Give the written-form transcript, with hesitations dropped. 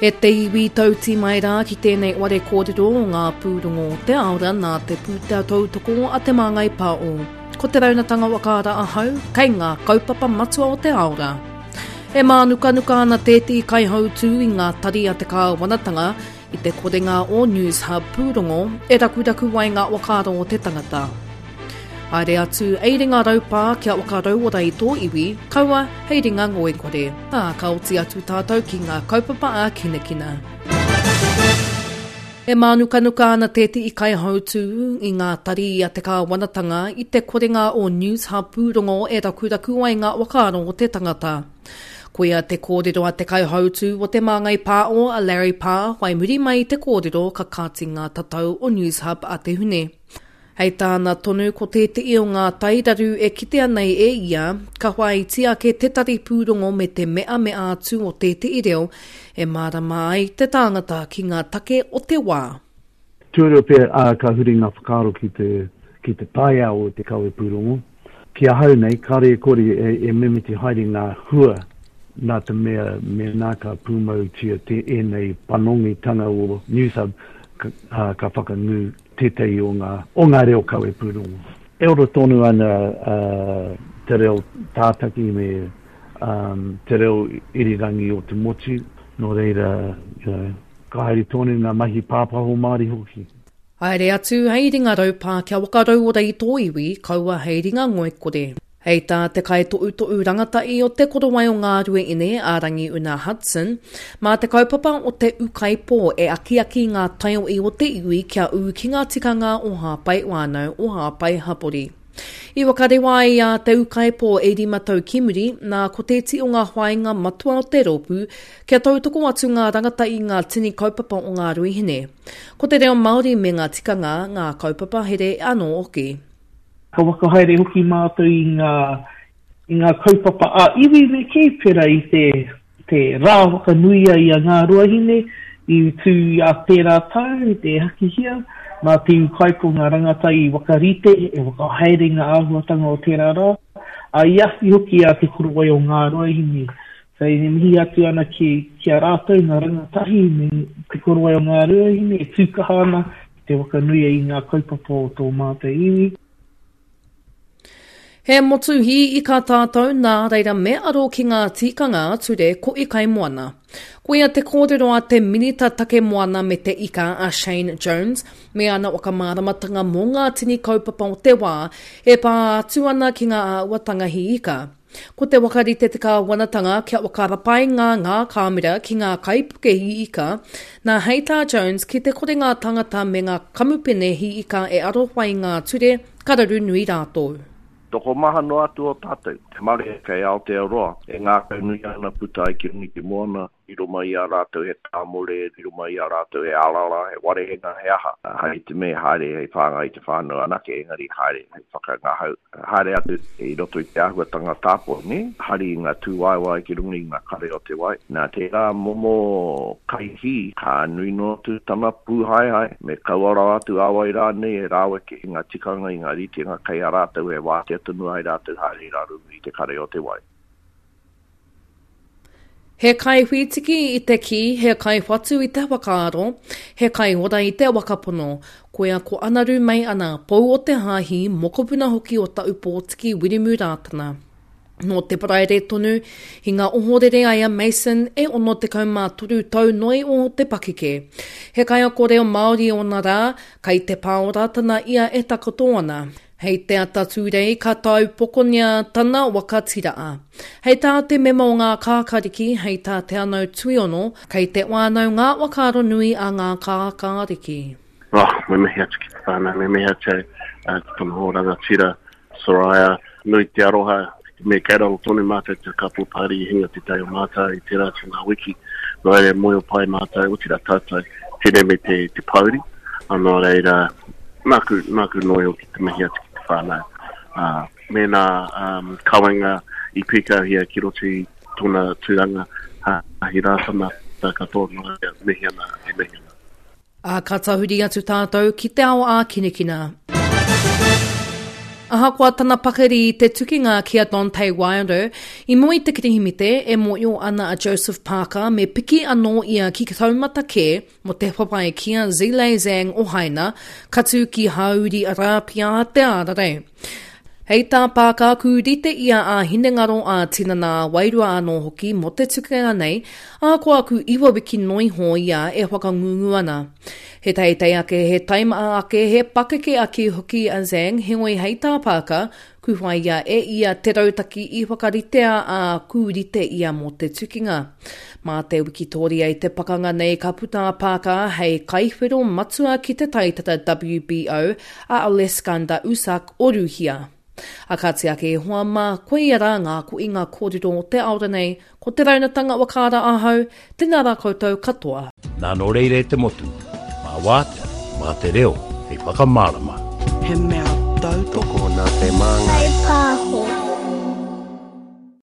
E te iwi tauti mai rā ki tēnei ware kōrero o ngā pūrongo o te aora nā te pūtea tautoko a Te Māngai Pāo. Ko te raunatanga whakaara ahau kei ngā kaupapa matua o te aora. E mānukanuka ana tētehi kaihautū i ngā tari a te kāwanatanga i te korenga o Newshub pūrongo e rakuraku ai ngā whakaaro o te tangata. Haere atu, ei ringa raupā kia whakarauora i tō iwi, kaua hei ringa ngoikore. Ā, ka oti atu tātou ki ngā kaupapa ā-kinakina. E mānukanuka ana tētehi kaihautū i ngā tari a te kāwanatanga i te korenga o Newshub pūrongo e rakuraku ai ngā whakaaro o te tangata. Koia te kōrero a te kaihautū o Te Māngai Pāo a Larry Parr whai muri mai i te kōrero ka kāti ngā tatau o Newshub a te Hune. Hei tāna tonu ko tētehi o ngā tairaru e kitea nei e ia, ka whāiti ake te tari pūrongo me te meamea atu o tētehi reo e mārama ai te tāngata ki ngā take o te wā. Tuarua pea, ā, ka huri ngā whakaaro ki te, ki te taiao o te kawe pūrongo. Ki ahau nei, kāore e kore e mimiti haere ngā hua nā te mea mēnā ka pūmautia te ēnei panongitanga o Newshub, ka, ā, ka whakangū tētahi o ngā, o ngā reo kawe pūrongo. E ora tonu ana te reo tātaki me te reo irirangi o te motu, nō reira, you know, ka haere tonu ngā mahi pāpāho Māori hoki. Haere atu hei ringa raupā kia whakarauora i tō iwi, kaua hei ringa ngoikore. Hei tā te kaitohutohu rangatahi o Te Korowai o Ngāruaine, a Rangiuna Hudson, mā te kaupapa o te ūkaipō e akiaki ngā taiohi o te iwi kia ū ki ngā tikanga o Hāpai Whānau, o Hāpai Hapori. I whakarewa ai a Te Ūkaipō e rima tau ki muri, nā ko tēti o ngā whāinga matua o te rōpū, kia tautoko atu ngā rangatahi i ngā tini kaupapa o Ngāruahine. Ko te reo Māori me ngā tikanga, ngā kaupapa here anō hoki. Ka whakahaere hoki mātou i ngā, i ngā kaupapa ā-iwi me kī, pērā i te, te rā whakanuia i a Ngāruahine i tū i a tērā tau, i te Hakihea, nā Te Ūkaipō ngā rangatahi i whakarite, e whakahaere ngā āhuatanga o tērā rā, ā, i awhi hoki a Te Korowai o Ngāruahine. So, e mihi atu ana ki, ki a rātou ngā rangatahi me Te Korowai o Ngāruahine e tū kaha ana Te whakanuia i ngā kaupapa o tō mātou iwi. He motu hī ika tātou, nā reira me aro ki ngā tikanga ture koʻi kaimoana. Koia te kōrero a te Minita Take Moana me te Ika a Shane Jones me ana whakamāramatanga mō ngā tini kaupapa o te wā e pā atu ana ki ngā āhuatanga hī ika. Ko te whakarite te kāwanatanga kia whakarapainga ngā kāmera ki ngā kaipuke hī ika, nā hei tā Jones ki te kore ngā tangata me ngā kamupene hī ika e arowhai ngā ture, ka raru nui rātou. Tokomaha noa atu o tātou, te marea kei Aotearoa, e ngākaunui ana puta ai ki runga i te moana, Riro mai i a rātou he tāmore, riro mai i a rātou he arara, he warehenga, he aha. Hai te me haere hei whāngai i te whānau anake, engari haere hei whakangahau. Haere atu i roto i te āhuatanga tāpoi, nē? Hari i ngā tūwaewae ki runga i ngā kare o te wai. Nā tērā momo kaihī, ka nui noa atu tana pūhaehae, me kaua rawa atu a wai rānei e raweke i ngā tikanga, i ngā ritenga kei a rātou e wātea tonu ai rātou haere i raro i te kare o te wai. He kaiwhītiki i te kī, he kaiwhatu i te whakaaro, he kaiora i te whakapono. Koia ko Anaru Mei Ana, pou o te hāhi, mokopuna hoki o Taupōtiki Wiremu Rātana. Nō te Paraire tonu, hinga ohorere ai a Mason e 63 tau noa iho te pakeke. He kaiako reo Māori ōna rā, kai te pā o Rātana ia e takoto ana. Hei te ata Tūrei ka taupokonia tana waka tiraa. Hei tā te mema o Ngā Kākāriki, hei tā Te Anau Tuiono, kei te whānau ngā whakaaro nui a Ngā Kākāriki. Oh, me mihi atu ki te whānau, me mihi atu ki tona hoa rangatira, Soraya, nui te aroha, me kei raro tonu mātou te couple party i hinga te tai o mātou i tērā atu ngā wiki, nō reira moe o pai mātou, otirā tātou, tēnei me te, te pōuri, nō reira, nāku, nāku noa iho ki te mihi atu ki te whānau. Ā, mēnā um, kawenga i pīkauhia ki roto i tōna tūranga, Hāhi Rātana, katoa, nō reira, mihi ana, e mihi ana. Ā, ka tahuri atu tātou ki te ao ākinakina. Ahakoa tana pakari i te tukinga ki a Deontay Wilder, i mua i te Kirihimete, e mōio ana a Joseph Parker me piki anō ia ki taumata kē mō te whawhai ki a Zhilei Zhang o Haina, ka tū ki Hāuri Arāpia te ārarei. Hei tā Parker, ku rite ia ā-hinengaro, ā-tinana, ā-wairua anō hoki mō te tukinga nei, ahakoa ku iwa wiki noa iho ia e whakangungu ana. He teitei ake, he taimaha ake, he pakeke ake hoki a Zhang, heoi hei tā Parker, ku whāia e ia te rautaki i whakaritea ā, ku rite ia mō te tukinga. Mā te wikitōria i te pakanga nei ka puta a Parker hei kaiwhero matua ki te taitara WBO a Aleskandar Usak o Rūhia. A kāti ake e hoa mā, koia rā ngā koinga kōrero o te aora nei, ko te raunatanga whakaara ahau, tēnā rā koutou katoa. Nā nō reira e te motu, mā wātea, mā te reo hei whakamārama. He mea tautoko. Tokona te māngai. Kaipāho.